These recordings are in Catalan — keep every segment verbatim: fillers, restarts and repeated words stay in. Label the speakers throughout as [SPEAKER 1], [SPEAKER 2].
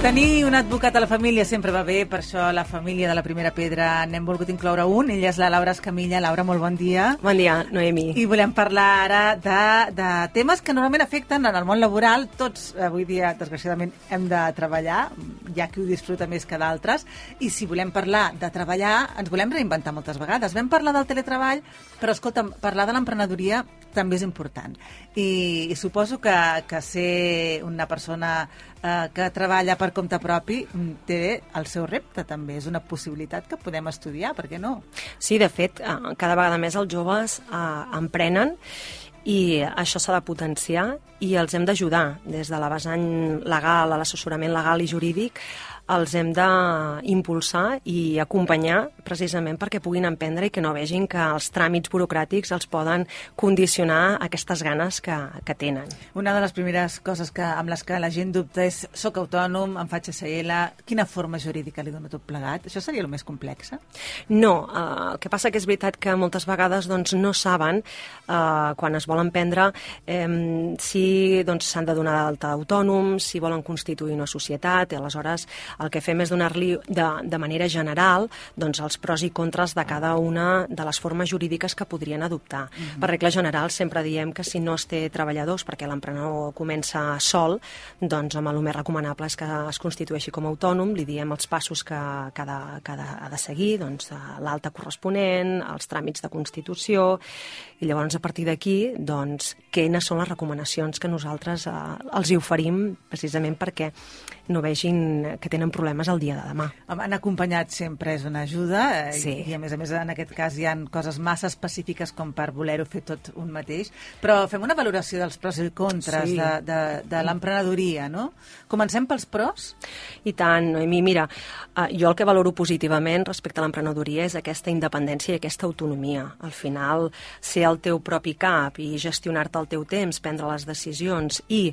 [SPEAKER 1] Tenir un advocat a la família sempre va bé, per això la família de la Primera Pedra n'hem volgut incloure un. Ella és la Laura Escamilla. Laura, molt bon dia.
[SPEAKER 2] Bon dia, Noemi.
[SPEAKER 1] I volem parlar ara de, de temes que normalment afecten en el món laboral. Tots, avui dia, desgraciadament, hem de treballar, hi ha qui ho disfruta més que d'altres, i si volem parlar de treballar, ens volem reinventar moltes vegades. Vam parlar del teletreball, però, escolta'm, parlar de l'emprenedoria també és important. I, i suposo que, que ser una persona eh, que treballa per compte propi té el seu repte també, és una possibilitat que podem estudiar, per què no?
[SPEAKER 2] Sí, de fet, cada vegada més els joves eh, emprenen i això s'ha de potenciar i els hem d'ajudar des de la vessant legal a l'assessorament legal i jurídic. Els hem d'impulsar i acompanyar precisament perquè puguin emprendre i que no vegin que els tràmits burocràtics els poden condicionar aquestes ganes que, que tenen.
[SPEAKER 1] Una de les primeres coses que, amb les que la gent dubta és soc autònom, em faig S L, quina forma jurídica li dona tot plegat? Això seria el més complex?
[SPEAKER 2] No, eh, el que passa que és veritat que moltes vegades doncs, no saben eh, quan es volen prendre eh, si doncs, s'han de donar d'alta d'autònom, si volen constituir una societat, i aleshores el que fem és donar-li de, de manera general doncs, els pros i contres de cada una de les formes jurídiques que podrien adoptar. Mm-hmm. Per regla general sempre diem que si no es té treballadors perquè l'emprenedor comença sol, doncs amb el més recomanable és que es constitueixi com a autònom, li diem els passos que, que, ha, de, que ha de seguir, doncs, l'alta corresponent, els tràmits de constitució, i llavors a partir d'aquí, doncs, quines són les recomanacions que nosaltres eh, els hi oferim precisament perquè no vegin que tenen problemes el dia de demà.
[SPEAKER 1] Han acompanyat sempre és una ajuda, eh,
[SPEAKER 2] sí.
[SPEAKER 1] i a més a més en aquest cas hi ha coses massa específiques com per voler-ho fer tot un mateix, però fem una valoració dels pros i contres sí. de, de, de l'emprenedoria, no? Comencem pels pros?
[SPEAKER 2] I tant, Noemi, mira, eh, jo el que valoro positivament respecte a l'emprenedoria és aquesta independència i aquesta autonomia. Al final, ser el teu propi cap i gestionar-te el teu temps, prendre les decisions i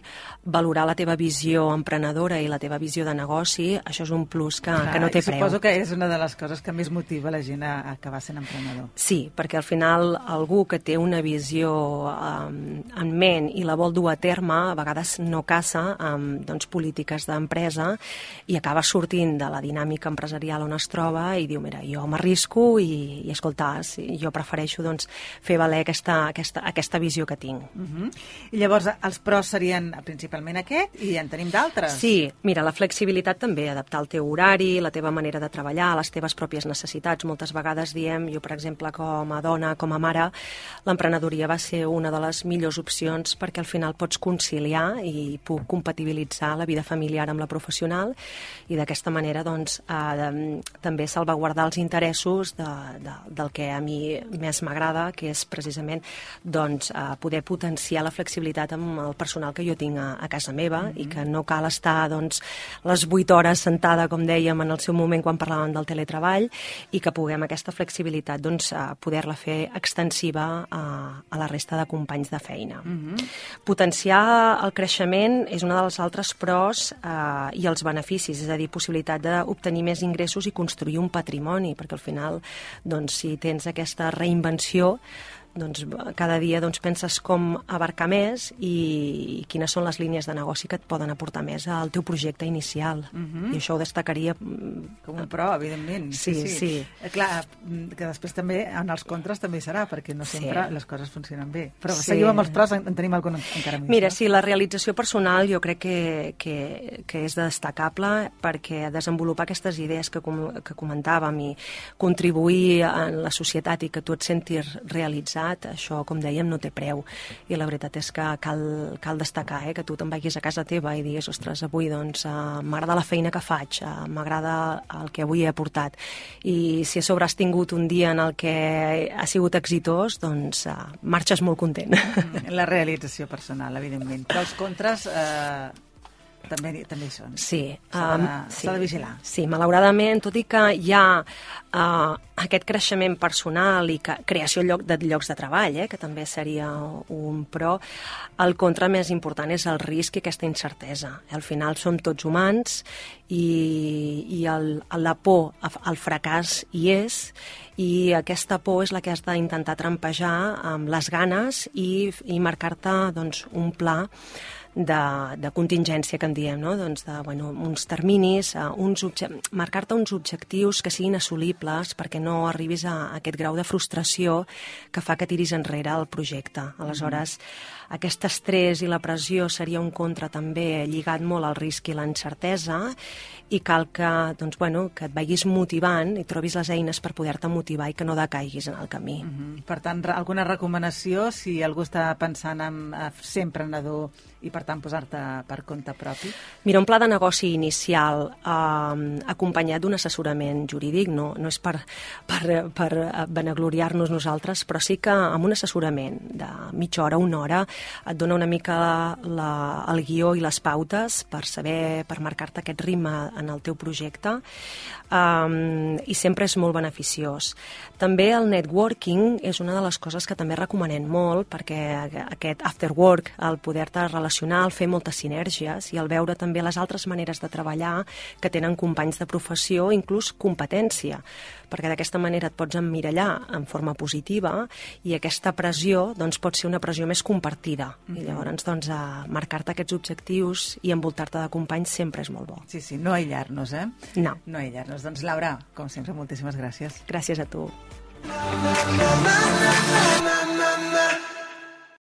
[SPEAKER 2] valorar la teva visió emprenedora i la teva visió de negoci, això és un plus que, Clar, que no té preu.
[SPEAKER 1] Suposo que és una de les coses que més motiva la gent a, a acabar sent emprenedor.
[SPEAKER 2] Sí, perquè al final algú que té una visió um, en ment i la vol dur a terme, a vegades no caça amb doncs, polítiques d'empresa i acaba sortint de la dinàmica empresarial on es troba i diu, mira, jo m'arrisco i, i escolta, sí, jo prefereixo doncs, fer valer aquesta, aquesta, aquesta visió que tinc.
[SPEAKER 1] Uh-huh. I llavors els pros serien principalment aquest i en tenim d'altres?
[SPEAKER 2] Sí, mira, la flexibilitat també, adaptar el teu horari, la teva manera de treballar, les teves pròpies necessitats. Moltes vegades diem, jo per exemple com a dona, com a mare, l'emprenedoria va ser una de les millors opcions perquè al final pots conciliar i puc compatibilitzar la vida familiar amb la professional i d'aquesta manera doncs, eh, també salvaguardar els interessos de, de, del que a mi més m'agrada, que és precisament doncs, eh, poder potenciar la flexibilitat amb el personal que jo tinc a, a casa meva mm-hmm. i que no cal estar doncs, les vuit hores sentada, com dèiem, en el seu moment quan parlàvem del teletreball i que puguem aquesta flexibilitat doncs, poder-la fer extensiva a, a la resta de companys de feina. Mm-hmm. Potenciar el creixement és una dels altres pros eh, i els beneficis, és a dir, possibilitat d'obtenir més ingressos i construir un patrimoni, perquè al final, doncs, si tens aquesta reinvenció, doncs, cada dia doncs, penses com abarcar més i, i quines són les línies de negoci que et poden aportar més al teu projecte inicial. Uh-huh. I això ho destacaria...
[SPEAKER 1] Com un pro, evidentment.
[SPEAKER 2] Sí, sí. sí.
[SPEAKER 1] sí. Clar, que després també en els contres també serà, perquè no sempre sí. les coses funcionen bé. Però sí. seguim amb els pros, en tenim algun encara més.
[SPEAKER 2] Mira,
[SPEAKER 1] no?
[SPEAKER 2] sí, la realització personal jo crec que, que, que és destacable perquè desenvolupar aquestes idees que, com, que comentàvem i contribuir en la societat i que tu et sentis realitzat, això, com dèiem, no té preu. I la veritat és que cal, cal destacar eh, que tu te'n vagis a casa teva i diguis, ostres, avui doncs, uh, m'agrada la feina que faig, uh, m'agrada el que avui he aportat. I si a sobre has tingut un dia en el que ha sigut exitós, doncs uh, marxes molt content.
[SPEAKER 1] La realització personal, evidentment. Però els contres... Eh... També, també hi són.
[SPEAKER 2] Sí.
[SPEAKER 1] S'ha de, um, sí. de vigilar.
[SPEAKER 2] Sí, malauradament, tot i que hi ha uh, aquest creixement personal i que, creació lloc de llocs de treball, eh, que també seria un pro, el contra més important és el risc i aquesta incertesa. Al final som tots humans i, i el, la por al fracàs hi és, i aquesta por és la que has d'intentar trampejar amb les ganes i, i marcar-te doncs, un pla de, de contingència, que en diem, no? Doncs de, bueno, uns terminis, uh, uns marcar-te uns objectius que siguin assolibles perquè no arribis a, a aquest grau de frustració que fa que tiris enrere el projecte. Aleshores, mm. aquest estrès i la pressió seria un contra també lligat molt al risc i l'incertesa, i cal que, doncs, bueno, que et vagis motivant i trobis les eines per poder-te motivar i que no decaiguis en el camí.
[SPEAKER 1] Mm-hmm. Per tant, alguna recomanació si algú està pensant en ser emprenedor i, per tant, posar-te per compte propi?
[SPEAKER 2] Mira, un pla de negoci inicial eh, acompanyat d'un assessorament jurídic no, no és per, per, per vanagloriar-nos nosaltres, però sí que amb un assessorament de mitja hora, una hora, et dona una mica la, el guió i les pautes per saber, per marcar-te aquest ritme en el teu projecte, um, i sempre és molt beneficiós. També el networking és una de les coses que també recomanem molt, perquè aquest after work, el poder-te relacionar, el fer moltes sinergies i el veure també les altres maneres de treballar que tenen companys de professió, inclús competència, perquè d'aquesta manera et pots emmirallar en forma positiva i aquesta pressió doncs, pot ser una pressió més compartida. Mm-hmm. I llavors doncs, marcar-te aquests objectius i envoltar-te de companys sempre és molt bo.
[SPEAKER 1] Sí, sí, no aïllar-nos, eh?
[SPEAKER 2] No.
[SPEAKER 1] No aïllar-nos. Doncs, Laura, com sempre, moltíssimes gràcies.
[SPEAKER 2] Gràcies a tu.